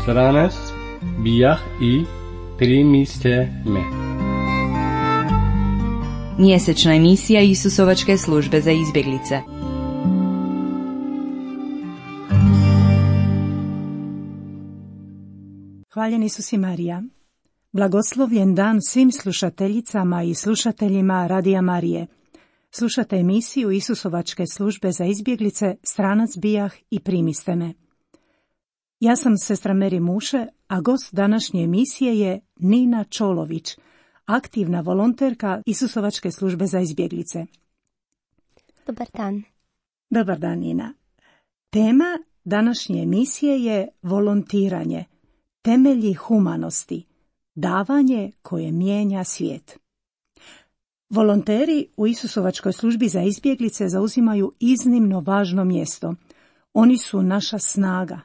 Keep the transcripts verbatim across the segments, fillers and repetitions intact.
Stranac bijah i primiste me. Mjesečna emisija Isusovačke službe za izbjeglice. Hvaljen Isus i Marija. Blagoslovljen dan svim slušateljicama i slušateljima Radija Marije. Slušate emisiju Isusovačke službe za izbjeglice Stranac bijah i primiste me. Ja sam sestra Meri Muše, a gost današnje emisije je Nina Čolović, aktivna volonterka Isusovačke službe za izbjeglice. Dobar dan. Dobar dan, Nina. Tema današnje emisije je volontiranje, temelji humanosti, davanje koje mijenja svijet. Volonteri u Isusovačkoj službi za izbjeglice zauzimaju iznimno važno mjesto. Oni su naša snaga,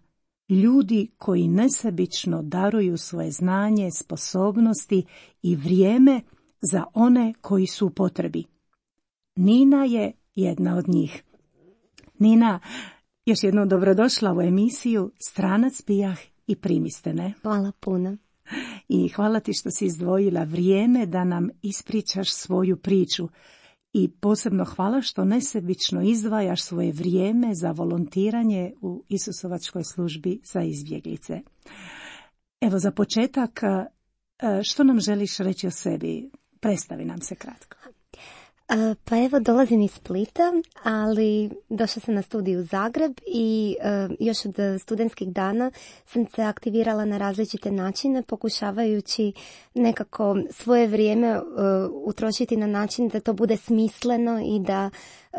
ljudi koji nesebično daruju svoje znanje, sposobnosti i vrijeme za one koji su u potrebi. Nina je jedna od njih. Nina, još jednom dobrodošla u emisiju Stranac bijah i primiste me. Hvala puno. I hvala ti što si izdvojila vrijeme da nam ispričaš svoju priču. I posebno hvala što nesebično izdvajaš svoje vrijeme za volontiranje u Isusovačkoj službi za izbjeglice. Evo, za početak, što nam želiš reći o sebi? Predstavi nam se kratko. Pa evo, dolazim iz Splita, ali došla sam na studij u Zagreb i uh, još od studentskih dana sam se aktivirala na različite načine, pokušavajući nekako svoje vrijeme uh, utrošiti na način da to bude smisleno i da uh,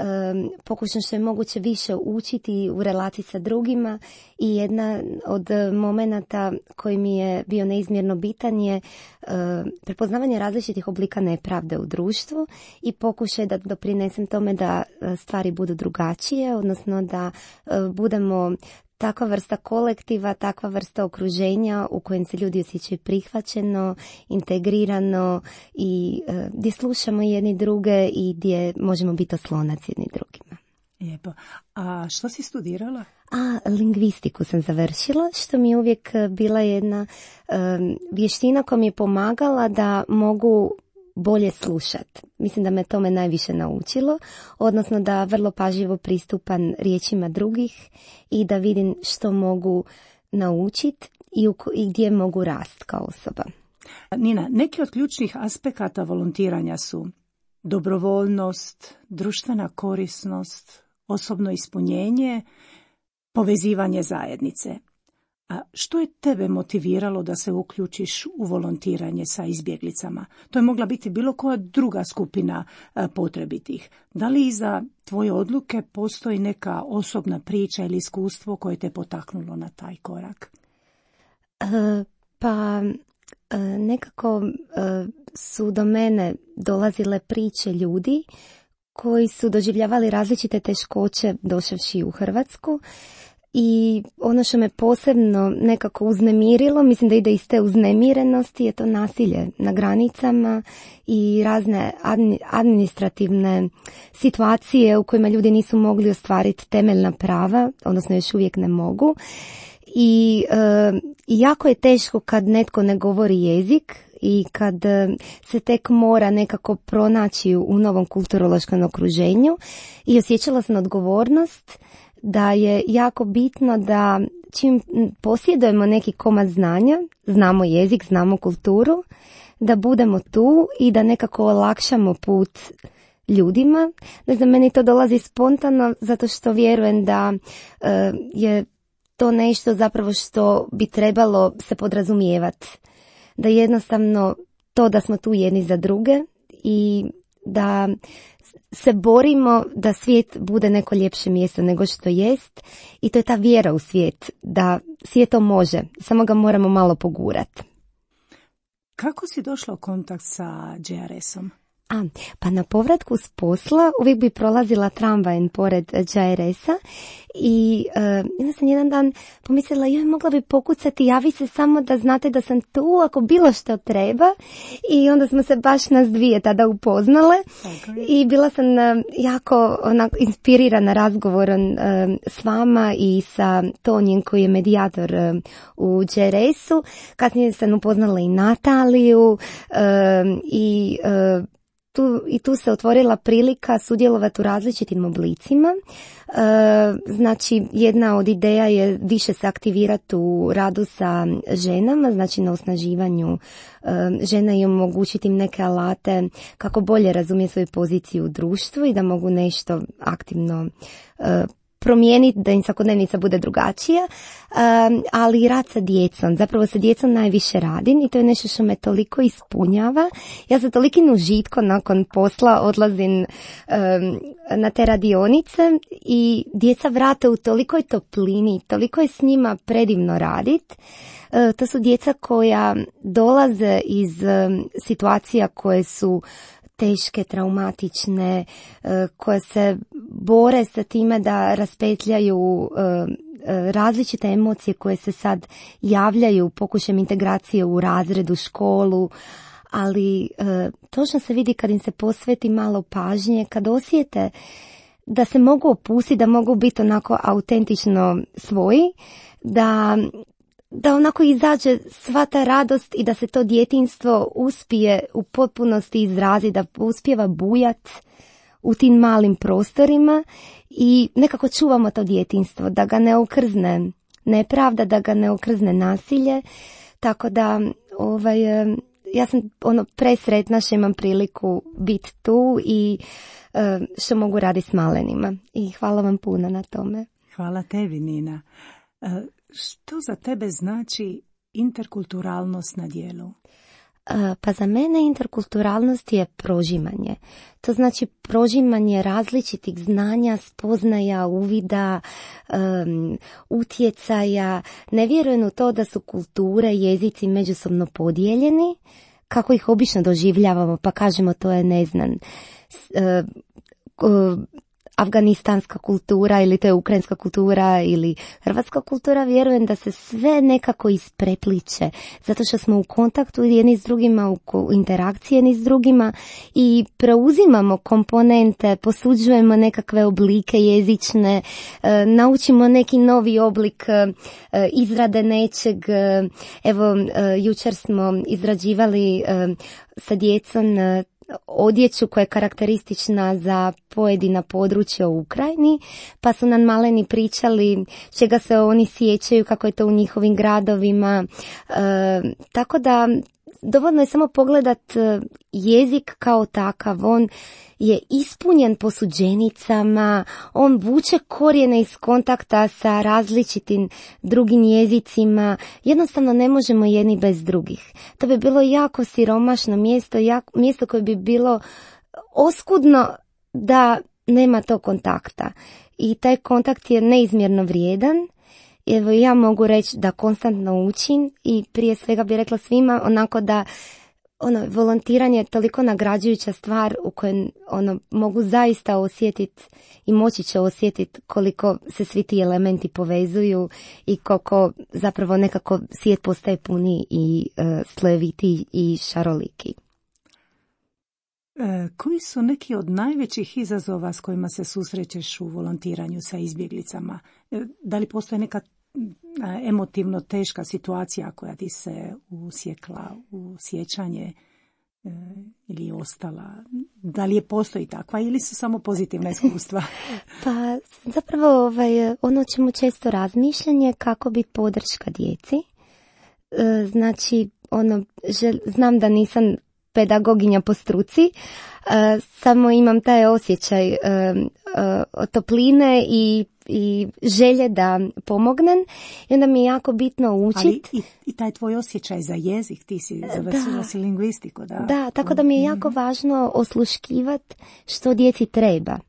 pokušam što je moguće više učiti u relaciji sa drugima. I jedna od momenata koji mi je bio neizmjerno bitan je uh, prepoznavanje različitih oblika nepravde u društvu i pokušaj da doprinesem tome da stvari budu drugačije, odnosno da budemo takva vrsta kolektiva, takva vrsta okruženja u kojem se ljudi osjećaju prihvaćeno, integrirano i gdje slušamo jedni druge i gdje možemo biti oslonac jedni drugima. Lijepo. A što si studirala? A, lingvistiku sam završila, što mi je uvijek bila jedna um, vještina koja mi je pomagala da mogu bolje slušati. Mislim da me tome najviše naučilo, odnosno da vrlo pažljivo pristupam riječima drugih i da vidim što mogu naučiti i, i gdje mogu rast kao osoba. Nina, neki od ključnih aspekata volontiranja su dobrovoljnost, društvena korisnost, osobno ispunjenje, povezivanje zajednice. A što je tebe motiviralo da se uključiš u volontiranje sa izbjeglicama? To je mogla biti bilo koja druga skupina potrebitih. Da li iza tvoje odluke postoji neka osobna priča ili iskustvo koje te potaknulo na taj korak? Uh, pa uh, nekako uh, su do mene dolazile priče ljudi koji su doživljavali različite teškoće došavši u Hrvatsku. I ono što me posebno nekako uznemirilo, mislim da ide iz te uznemirenosti, je to nasilje na granicama i razne administrativne situacije u kojima ljudi nisu mogli ostvariti temeljna prava, odnosno još uvijek ne mogu. I e, jako je teško kad netko ne govori jezik i kad se tek mora nekako pronaći u novom kulturološkom okruženju i osjećala sam odgovornost da je jako bitno da čim posjedujemo neki komad znanja, znamo jezik, znamo kulturu, da budemo tu i da nekako olakšamo put ljudima. Ne znam, meni to dolazi spontano zato što vjerujem da uh, je to nešto zapravo što bi trebalo se podrazumijevati. Da jednostavno to da smo tu jedni za druge i da se borimo da svijet bude neko ljepše mjesto nego što jest i to je ta vjera u svijet, da svijet to može, samo ga moramo malo pogurati. Kako si došla u kontakt sa J R S-om? A, pa na povratku s posla uvijek bi prolazila tramvajem pored Đ R S-a i uh, onda sam jedan dan pomislila, joj, mogla bi pokucati, javi se samo da znate da sam tu ako bilo što treba, i onda smo se baš nas dvije tada upoznale. Okay. I bila sam uh, jako onako inspirirana razgovorom uh, s vama i sa Tonjem koji je medijator uh, u Đ R S-u. Kasnije sam upoznala i Nataliju uh, i uh, Tu, i tu se otvorila prilika sudjelovati u različitim oblicima. E, znači, jedna od ideja je više se aktivirati u radu sa ženama, znači na osnaživanju e, žena i omogućiti im neke alate kako bolje razumije svoju poziciju u društvu i da mogu nešto aktivno e, promijeniti, da im svakodnevnica bude drugačija, um, ali i rad sa djecom. Zapravo sa djecom najviše radim i to je nešto što me toliko ispunjava. Ja sa tolikim užitkom nakon posla odlazim um, na te radionice i djeca vrate u tolikoj toplini, toliko je s njima predivno raditi. Uh, to su djeca koja dolaze iz um, situacija koje su teške, traumatične, koje se bore sa time da raspetljaju različite emocije koje se sad javljaju pokušajem integracije u razredu, školu, ali točno se vidi kad im se posveti malo pažnje, kad osjete da se mogu opustiti, da mogu biti onako autentično svoji, da da onako izađe sva ta radost i da se to djetinjstvo uspije u potpunosti izraziti, da uspijeva bujat u tim malim prostorima i nekako čuvamo to djetinjstvo, da ga ne okrzne nepravda, da ga ne okrzne nasilje, tako da ovaj, ja sam ono presretna što imam priliku biti tu i što mogu raditi s malenima i hvala vam puno na tome. Hvala tebi, Nina. Što za tebe znači interkulturalnost na djelu? Pa za mene interkulturalnost je prožimanje. To znači prožimanje različitih znanja, spoznaja, uvida, um, utjecaja. Ne vjerujem u to da su kulture, jezici međusobno podijeljeni, kako ih obično doživljavamo, pa kažemo to je neznan. Uh, uh, afganistanska kultura ili to je ukrajinska kultura ili hrvatska kultura, vjerujem da se sve nekako isprepliče zato što smo u kontaktu jedni s drugima, u interakciji jedni s drugima i preuzimamo komponente, posuđujemo nekakve oblike jezične, e, naučimo neki novi oblik e, izrade nečeg. Evo, e, jučer smo izrađivali e, sa djecom e, odjeću koja je karakteristična za pojedina područja u Ukrajini, pa su nam maleni pričali čega se oni sjećaju, kako je to u njihovim gradovima. E, tako da dovoljno je samo pogledat jezik kao takav, on je ispunjen posuđenicama, on vuče korijene iz kontakta sa različitim drugim jezicima, jednostavno ne možemo jedni bez drugih. To bi bilo jako siromašno mjesto, jako, mjesto koje bi bilo oskudno da nema tog kontakta. I taj kontakt je neizmjerno vrijedan. Evo, ja mogu reći da konstantno učim i prije svega bih rekla svima onako da ono, volontiranje je toliko nagrađujuća stvar u kojoj ono, mogu zaista osjetiti i moći će osjetiti koliko se svi ti elementi povezuju i koliko zapravo nekako svijet postaje puni i uh, slojeviti i šaroliki. E, koji su neki od najvećih izazova s kojima se susrećeš u volontiranju sa izbjeglicama? E, da li postoji neka emotivno teška situacija koja ti se usjekla u sjećanje e, ili je ostala? Da li je postoji takva ili su samo pozitivna iskustva? Pa zapravo ovaj, ono čemu često razmišljanje kako biti podrška djeci. E, znači, ono, žel, znam da nisam pedagoginja po struci, e, samo imam taj osjećaj e, e, topline i i želje da pomognem i onda mi je jako bitno učiti. Ali i, i taj tvoj osjećaj za jezik, ti si završila si lingvistiku. Da. da, tako da mi je jako važno osluškivati što djeci treba.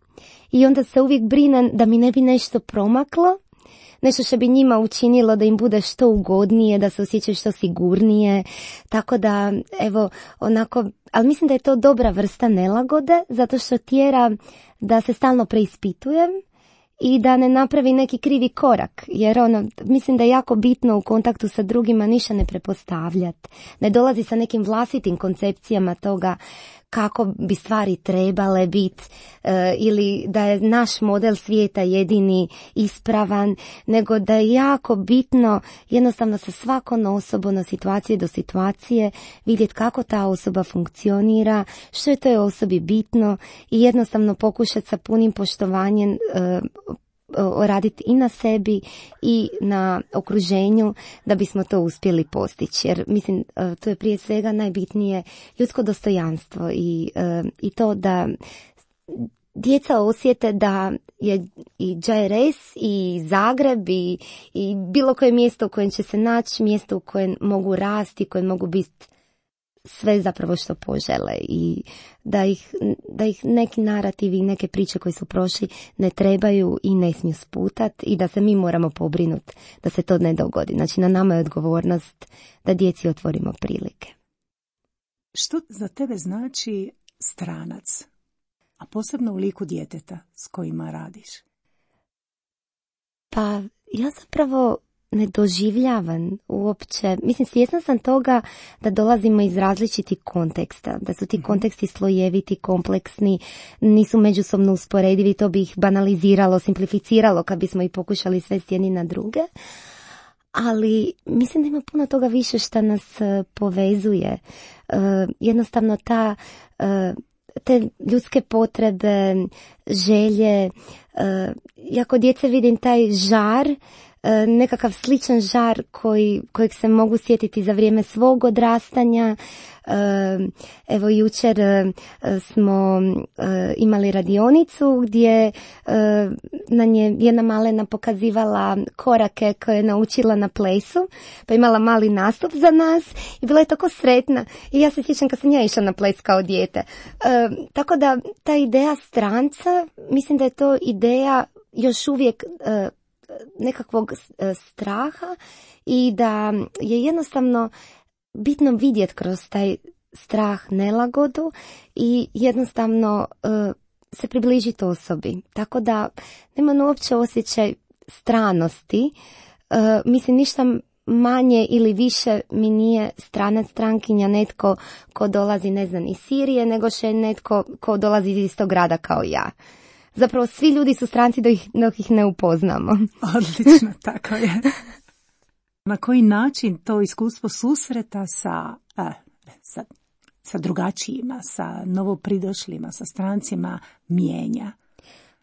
I onda se uvijek brinem da mi ne bi nešto promaklo, nešto što bi njima učinilo da im bude što ugodnije, da se osjećaju što sigurnije, tako da evo onako, ali mislim da je to dobra vrsta nelagode zato što tjera da se stalno preispitujem i da ne napravi neki krivi korak, jer ono, mislim da je jako bitno u kontaktu sa drugima ništa ne prepostavljati, ne dolazi sa nekim vlastitim koncepcijama toga kako bi stvari trebale biti e, ili da je naš model svijeta jedini ispravan, nego da je jako bitno jednostavno sa svakom osobom od situacije do situacije vidjeti kako ta osoba funkcionira, što je toj osobi bitno i jednostavno pokušati sa punim poštovanjem e, raditi i na sebi i na okruženju da bismo to uspjeli postići. Jer mislim, to je prije svega najbitnije ljudsko dostojanstvo i, i to da djeca osjete da je i Džajres i Zagreb i, i bilo koje mjesto u kojem će se naći, mjesto u kojem mogu rasti, koje mogu biti sve zapravo što požele i da ih, da ih neki narativi i neke priče koje su prošli ne trebaju i ne smiju sputati i da se mi moramo pobrinuti da se to ne dogodi. Znači na nama je odgovornost da djeci otvorimo prilike. Što za tebe znači stranac, a posebno u liku djeteta s kojima radiš? Pa ja zapravo ne doživljavam uopće, mislim svjesna sam toga da dolazimo iz različitih konteksta, da su ti konteksti slojeviti, kompleksni, nisu međusobno usporedivi, to bi ih banaliziralo, simplificiralo kad bismo ih pokušali svesti jedni na druge, ali mislim da ima puno toga više što nas povezuje. Jednostavno ta, te ljudske potrebe, želje, ja kod djece vidim taj žar, nekakav sličan žar koji, kojeg se mogu sjetiti za vrijeme svog odrastanja. Evo jučer smo imali radionicu gdje nam je jedna malena pokazivala korake koje je naučila na plesu, pa imala mali nastup za nas i bila je tako sretna i ja se sjećam kad sam ja išla na ples kao dijete. Tako da ta ideja stranca, mislim da je to ideja još uvijek nekakvog straha i da je jednostavno bitno vidjeti kroz taj strah nelagodu i jednostavno uh, se približiti osobi. Tako da nema uopće osjećaj stranosti. Uh, mislim, ništa manje ili više mi nije stranac, strankinja, netko ko dolazi, ne znam, iz Sirije, nego še netko ko dolazi iz istog grada kao ja. Zapravo svi ljudi su stranci dok ih, dok ih ne upoznamo. Odlično, tako je. Na koji način to iskustvo susreta sa, a, sa, sa drugačijima, sa novopridošlima, sa strancima mijenja?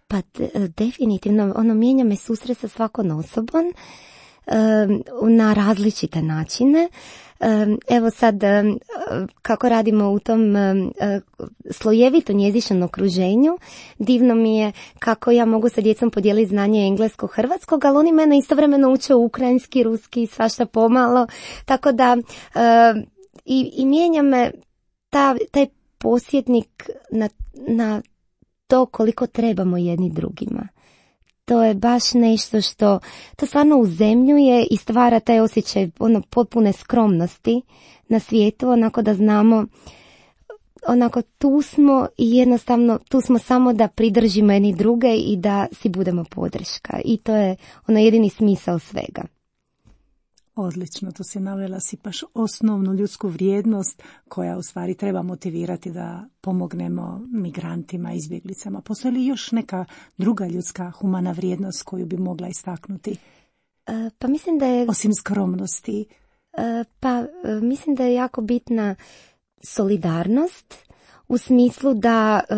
Pa de, definitivno, ono mijenja me susret sa svakom osobom um, na različite načine. Um, evo sad, um, kako radimo u tom um, slojevitom jezičnom okruženju, divno mi je kako ja mogu sa djecom podijeliti znanje englesko-hrvatskog, ali oni mene istovremeno uče ukrajinski, ruski, svašta pomalo, tako da uh, i, i mijenja me ta, taj posjetnik na, na to koliko trebamo jedni drugima. To je baš nešto što, to stvarno uzemljuje i stvara taj osjećaj ono potpune skromnosti na svijetu, onako da znamo, onako tu smo i jednostavno tu smo samo da pridržimo jedni druge i da si budemo podrška. I to je ono jedini smisao svega. Odlično, to si navela si baš osnovnu ljudsku vrijednost koja u stvari treba motivirati da pomognemo migrantima, izbjeglicama. Postoji li još neka druga ljudska humana vrijednost koju bi mogla istaknuti? E, pa mislim da je... Osim skromnosti. E, pa e, mislim da je jako bitna solidarnost u smislu da e,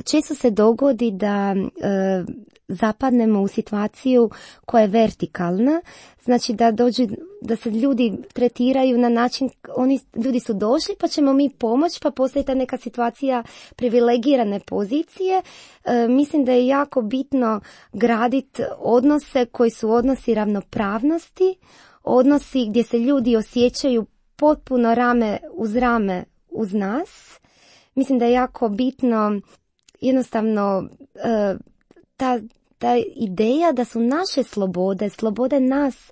često se dogodi da e, zapadnemo u situaciju koja je vertikalna, znači da dođu, da se ljudi tretiraju na način, oni ljudi su došli pa ćemo mi pomoći, pa postoji ta neka situacija privilegirane pozicije. E, mislim da je jako bitno graditi odnose koji su odnosi ravnopravnosti, odnosi gdje se ljudi osjećaju potpuno rame uz rame uz nas. Mislim da je jako bitno jednostavno e, ta ta ideja da su naše slobode, slobode nas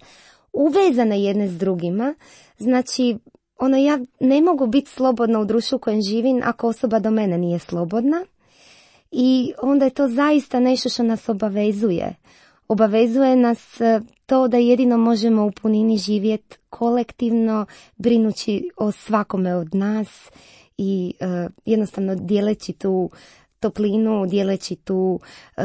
uvezane jedne s drugima, znači ono, ja ne mogu biti slobodna u društvu u kojem živim ako osoba do mene nije slobodna i onda je to zaista nešto što nas obavezuje. Obavezuje nas to da jedino možemo u punini živjeti kolektivno, brinući o svakome od nas i uh, jednostavno dijeleći tu toplinu, dijeleći tu, uh,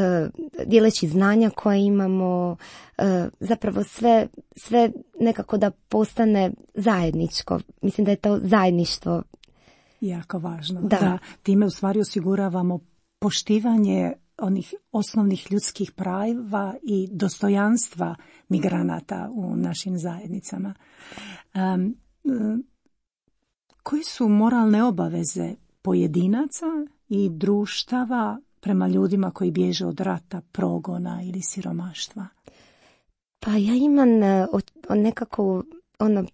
dijeleći znanja koja imamo, uh, zapravo sve, sve nekako da postane zajedničko. Mislim da je to zajedništvo jako važno. Da. Da, time u stvari osiguravamo poštivanje onih osnovnih ljudskih prava i dostojanstva migranata u našim zajednicama. Um, um, koje su moralne obaveze pojedinaca i društava prema ljudima koji bježe od rata, progona ili siromaštva? Pa ja imam uh, nekako ono,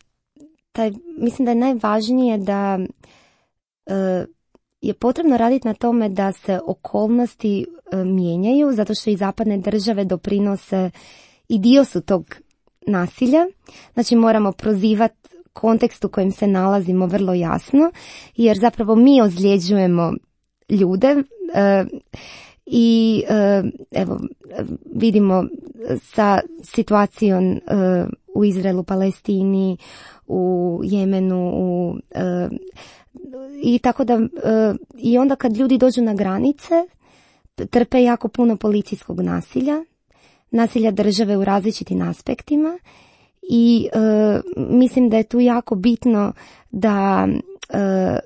taj, mislim da je najvažnije da uh, je potrebno raditi na tome da se okolnosti uh, mijenjaju, zato što i zapadne države doprinose i dio su tog nasilja. Znači moramo prozivati kontekst u kojem se nalazimo vrlo jasno, jer zapravo mi ozljeđujemo ljude uh, i uh, evo vidimo sa situacijom uh, u Izraelu, Palestini, u Jemenu, u, uh, i tako da uh, i onda kad ljudi dođu na granice trpe jako puno policijskog nasilja, nasilja države u različitim aspektima i uh, mislim da je tu jako bitno da uh,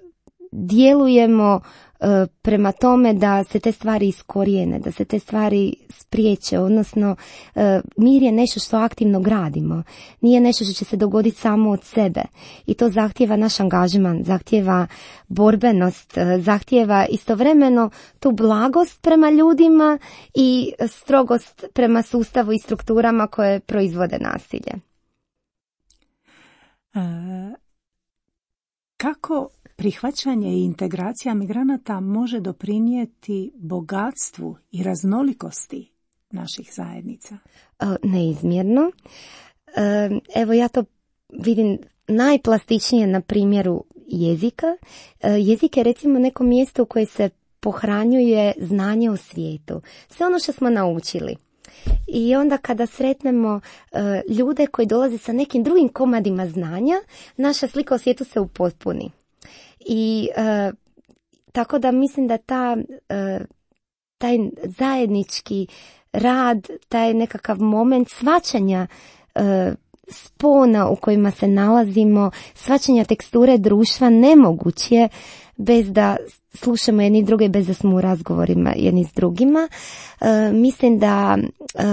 djelujemo uh, prema tome da se te stvari iskorijene, da se te stvari spriječe, odnosno uh, mir je nešto što aktivno gradimo, nije nešto što će se dogoditi samo od sebe i to zahtijeva naš angažman, zahtijeva borbenost, uh, zahtijeva istovremeno tu blagost prema ljudima i strogost prema sustavu i strukturama koje proizvode nasilje. Uh, kako prihvaćanje i integracija migranata može doprinijeti bogatstvu i raznolikosti naših zajednica? Neizmjerno. Evo ja to vidim najplastičnije na primjeru jezika. Jezik je recimo neko mjesto u koje se pohranjuje znanje o svijetu. Sve ono što smo naučili. I onda kada sretnemo uh, ljude koji dolaze sa nekim drugim komadima znanja, naša slika o svijetu se upotpuni. I uh, tako da mislim da ta, uh, taj zajednički rad, taj nekakav moment shvaćanja uh, spona u kojima se nalazimo, shvaćanja teksture društva nemoguć je bez da slušamo jedni druge, bez da smo u razgovorima jedni s drugima. Uh, mislim da uh,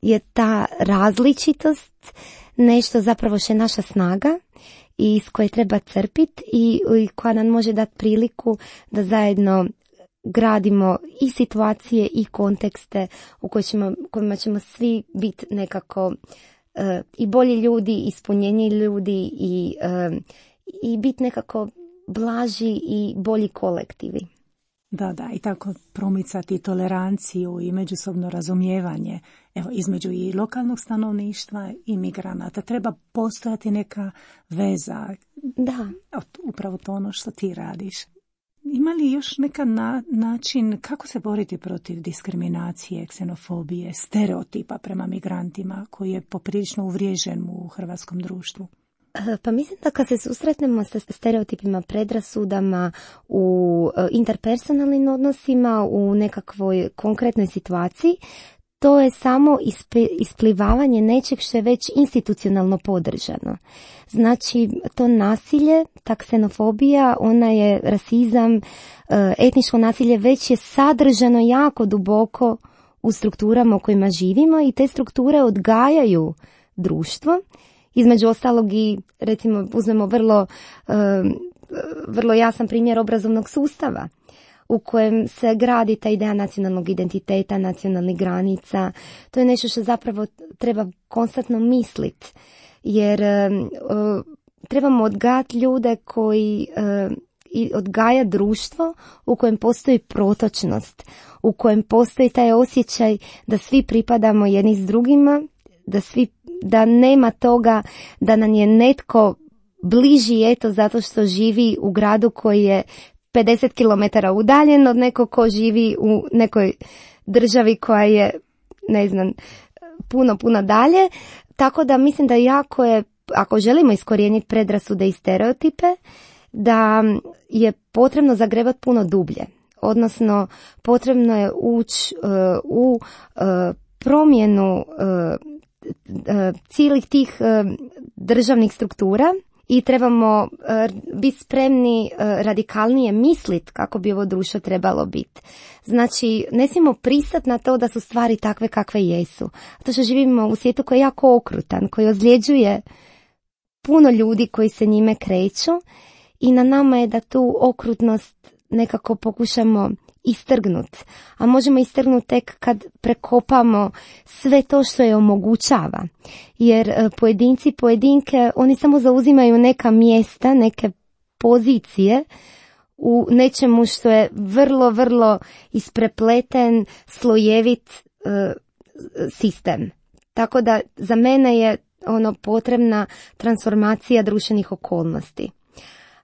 je ta različitost nešto zapravo što je naša snaga i iz koje treba crpiti i, i koja nam može dati priliku da zajedno gradimo i situacije i kontekste u kojima ćemo, kojima ćemo svi biti nekako uh, i bolji ljudi, ispunjeniji ljudi i, uh, i biti nekako blaži i bolji kolektivi. Da, da, i tako promicati toleranciju i međusobno razumijevanje, evo, između i lokalnog stanovništva i migranata. Treba postojati neka veza. Da. Upravo to ono što ti radiš. Ima li još neka na, način kako se boriti protiv diskriminacije, ksenofobije, stereotipa prema migrantima koji je poprilično uvriježen u hrvatskom društvu? Pa mislim da kad se susretnemo sa stereotipima, predrasudama u interpersonalnim odnosima, u nekakvoj konkretnoj situaciji, to je samo isplivavanje nečeg što je već institucionalno podržano. Znači, to nasilje, ta ksenofobija, ona je rasizam, etničko nasilje već je sadržano jako duboko u strukturama u kojima živimo i te strukture odgajaju društvo. Između ostalog i, recimo, uzmemo vrlo, uh, vrlo jasan primjer obrazovnog sustava u kojem se gradi ta ideja nacionalnog identiteta, nacionalnih granica. To je nešto što zapravo treba konstantno misliti, jer uh, trebamo odgajati ljude koji uh, i odgaja društvo u kojem postoji protočnost, u kojem postoji taj osjećaj da svi pripadamo jedni s drugima, da svi, da nema toga da nam je netko bliži eto zato što živi u gradu koji je pedeset kilometara udaljen od nekog ko živi u nekoj državi koja je, ne znam, puno, puno dalje. Tako da mislim da jako je, ako želimo iskorijeniti predrasude i stereotipe, da je potrebno zagrebati puno dublje. Odnosno, potrebno je ući uh, u uh, promjenu uh, uh, cijelih tih uh, državnih struktura i trebamo uh, biti spremni uh, radikalnije misliti kako bi ovo društvo trebalo biti. Znači, ne smijemo pristati na to da su stvari takve kakve jesu. Zato što živimo u svijetu koji je jako okrutan, koji ozljeđuje puno ljudi koji se njime kreću i na nama je da tu okrutnost nekako pokušamo istrgnuti. A možemo istrgnuti tek kad prekopamo sve to što je omogućava. Jer pojedinci, pojedinke, oni samo zauzimaju neka mjesta, neke pozicije u nečemu što je vrlo, vrlo isprepleten, slojevit uh, sistem. Tako da za mene je ono potrebna transformacija društvenih okolnosti.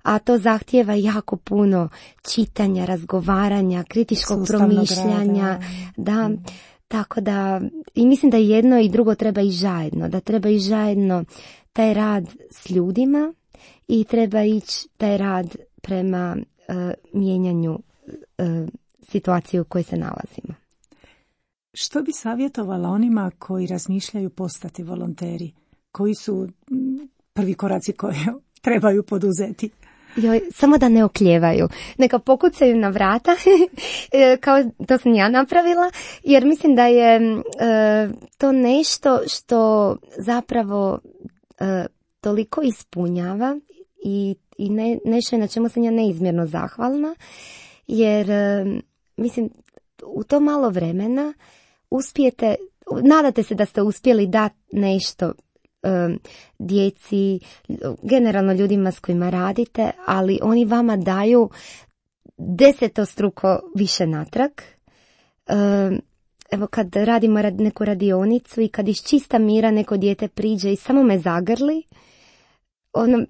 A to zahtijeva jako puno čitanja, razgovaranja, kritičkog sustavnog promišljanja. Rada. Da, mm. Tako da, i mislim da jedno i drugo treba i zajedno, da treba i zajedno taj rad s ljudima i treba ići taj rad prema uh, mijenjanju uh, situacije u kojoj se nalazimo. Što bi savjetovala onima koji razmišljaju postati volonteri? Koji su prvi koraci koje trebaju poduzeti? Joj, samo da ne oklijevaju. Neka pokucaju na vrata, kao to sam ja napravila, jer mislim da je e, to nešto što zapravo e, toliko ispunjava i, i ne, nešto na čemu sam ja neizmjerno zahvalna, jer e, mislim u to malo vremena uspijete, nadate se da ste uspjeli dati nešto djeci, generalno ljudima s kojima radite, ali oni vama daju desetostruko više natrag. Evo kad radimo neku radionicu i kad iz čista mira neko dijete priđe i samo me zagrli, ono,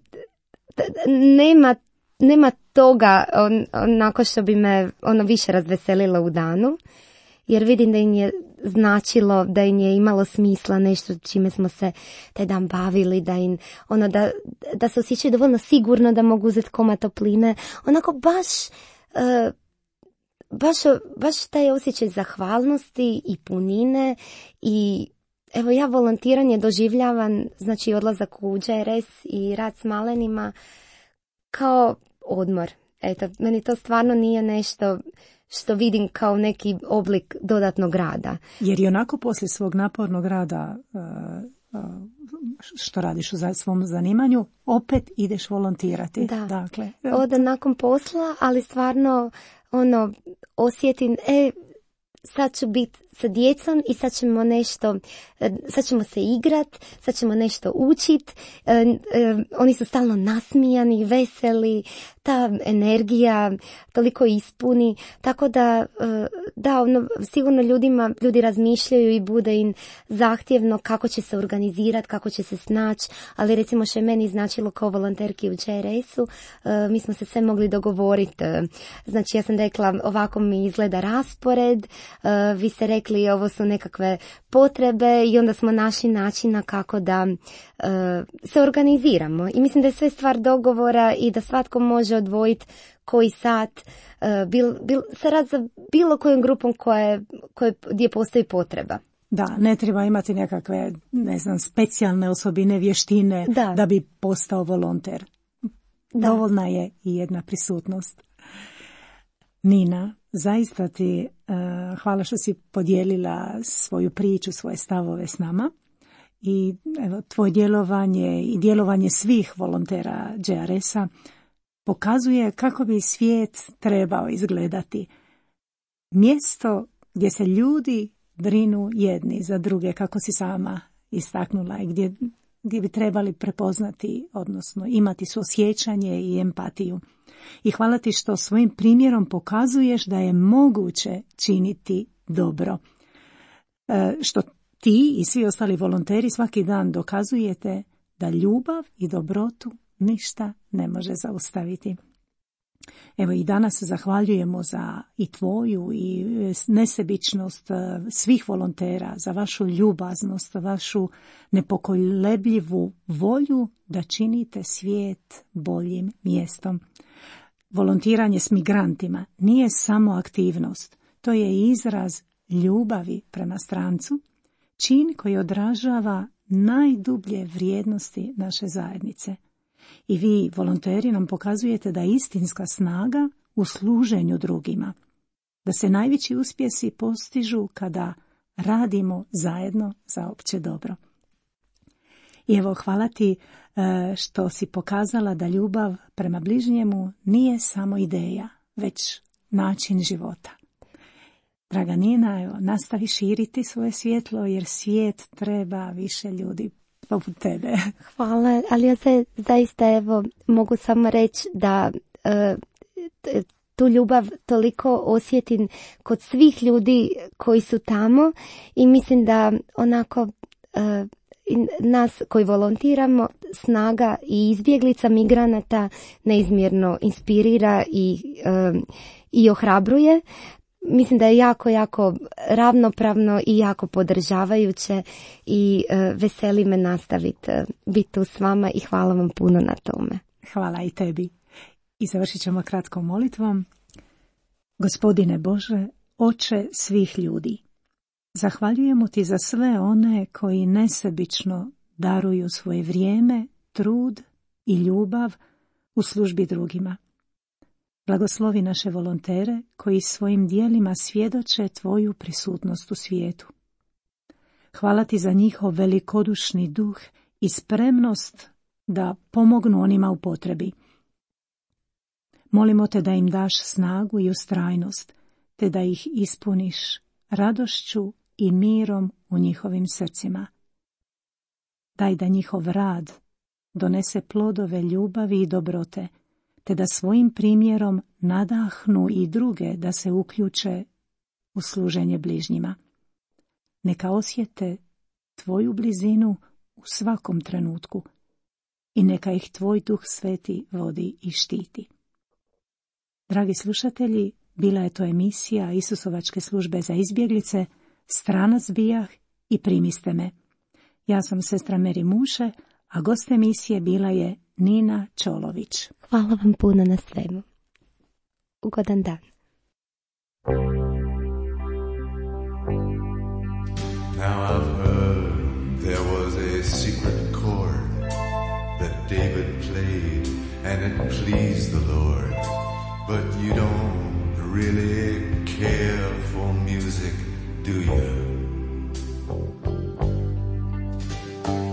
nema, nema toga on, onako što bi me ono više razveselilo u danu, jer vidim da im je značilo, da im je imalo smisla nešto čime smo se taj dan bavili, da im, ono, da, da se osjećaju dovoljno sigurno da mogu uzeti komad topline. Onako baš, uh, baš, baš taj osjećaj zahvalnosti i punine i evo ja volontiranje doživljavam, znači odlazak u Đ R S i rad s malenima kao odmor. Eto, meni to stvarno nije nešto što vidim kao neki oblik dodatnog rada. Jer i onako poslije svog napornog rada što radiš u svom zanimanju, opet ideš volontirati. Da, dakle, odem nakon posla, ali stvarno ono, osjetim, e, sad ću biti sa djecom i sad ćemo nešto, sad ćemo se igrat, sad ćemo nešto učit, e, e, oni su stalno nasmijani, veseli, ta energija toliko ispuni, tako da, e, da, ono, sigurno ljudima, ljudi razmišljaju i bude im zahtjevno kako će se organizirati, kako će se snaći, ali recimo što je meni značilo kao volonterki u Đ R S-u, e, mi smo se sve mogli dogovoriti, e, znači ja sam rekla ovako mi izgleda raspored, e, vi ste rekli ovo su nekakve potrebe i onda smo našli načina kako da uh, se organiziramo. I mislim da je sve stvar dogovora i da svatko može odvojiti koji sat uh, bil, bil, se rad za bilo kojom grupom koje, koje, gdje postoji potreba. Da, ne treba imati nekakve, ne znam, specijalne osobine, vještine da, da bi postao volonter. Da. Dovoljna je i jedna prisutnost. Nina, zaista ti uh, hvala što si podijelila svoju priču, svoje stavove s nama i evo, tvoje djelovanje i djelovanje svih volontera Đ R S-a pokazuje kako bi svijet trebao izgledati. Mjesto gdje se ljudi brinu jedni za druge, kako si sama istaknula, i gdje gdje bi trebali prepoznati, odnosno imati suosjećanje i empatiju. I hvala ti što svojim primjerom pokazuješ da je moguće činiti dobro. E, što ti i svi ostali volonteri svaki dan dokazujete da ljubav i dobrotu ništa ne može zaustaviti. Evo i danas zahvaljujemo za i tvoju i nesebičnost svih volontera, za vašu ljubaznost, vašu nepokolebljivu volju da činite svijet boljim mjestom. Volontiranje s migrantima nije samo aktivnost, to je izraz ljubavi prema strancu, čin koji odražava najdublje vrijednosti naše zajednice. I vi, volonteri, nam pokazujete da je istinska snaga u služenju drugima, da se najveći uspjesi postižu kada radimo zajedno za opće dobro. I evo, hvala ti što si pokazala da ljubav prema bližnjemu nije samo ideja, već način života. Draga Nina, evo, nastavi širiti svoje svjetlo, jer svijet treba više ljudi poput tebe. Hvala, ali ja se zaista evo mogu samo reći da e, tu ljubav toliko osjetim kod svih ljudi koji su tamo i mislim da onako e, nas koji volontiramo snaga i izbjeglica migranata neizmjerno inspirira i, e, i ohrabruje. Mislim da je jako, jako ravnopravno i jako podržavajuće i e, veseli me nastaviti e, biti tu s vama i hvala vam puno na tome. Hvala i tebi. I završit ćemo kratkom molitvom. Gospodine Bože, Oče svih ljudi, zahvaljujemo ti za sve one koji nesebično daruju svoje vrijeme, trud i ljubav u službi drugima. Blagoslovi naše volontere koji svojim dijelima svjedoče tvoju prisutnost u svijetu. Hvala ti za njihov velikodušni duh i spremnost da pomognu onima u potrebi. Molimo te da im daš snagu i ustrajnost, te da ih ispuniš radošću i mirom u njihovim srcima. Daj da njihov rad donese plodove ljubavi i dobrote, te da svojim primjerom nadahnu i druge da se uključe u služenje bližnjima. Neka osjete tvoju blizinu u svakom trenutku i neka ih tvoj Duh Sveti vodi i štiti. Dragi slušatelji, bila je to emisija Isusovačke službe za izbjeglice, Stranac bijah i Primiste me. Ja sam sestra Meri Muše, a gost emisije bila je Nina Čolović. Hvala vam puno na svemu. Ugodan dan. Now I've heard there was a secret chord that David played and it pleased the Lord. But you don't really care for music, do you?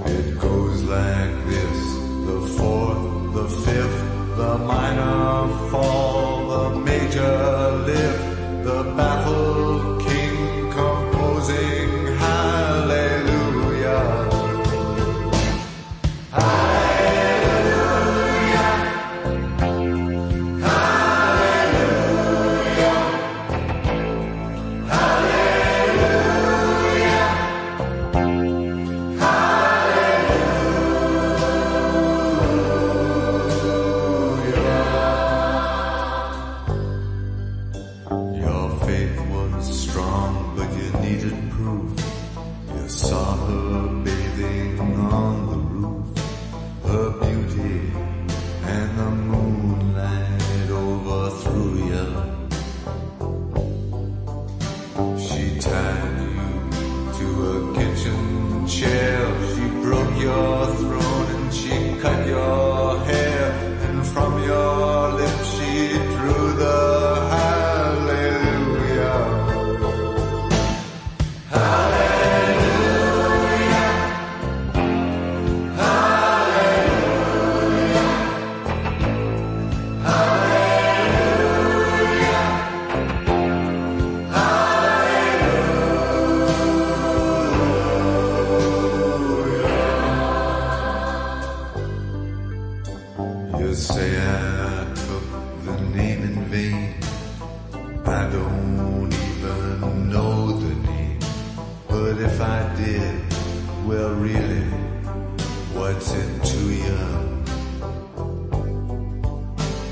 It goes like this, the fourth, the fifth, the minor fall, the major lift, the baffled king composing hallelujah. Hallelujah. Hallelujah. Hallelujah. Your faith was strong, but you needed proof. You saw her bathing on the roof, her beauty and the moonlight overthrew you. She tied you to a kitchen chair, she broke your throne and she cut your hair, and from your lips she drew the hallelujah. Hallelujah. Hallelujah. Hallelujah. Hallelujah. But if I did, well really, what's it to you?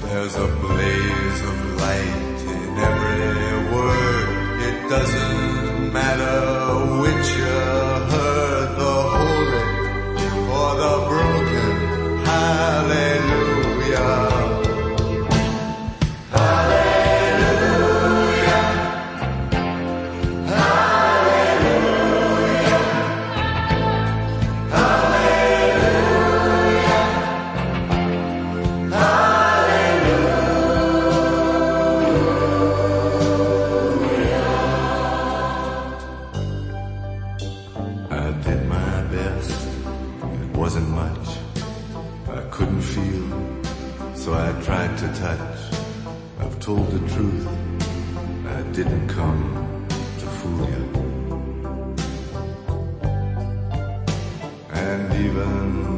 There's a blaze of light in every word. It doesn't matter which you heard, the holy or the broken. Hallelujah. So I tried to touch. I've told the truth. I didn't come to fool you. And even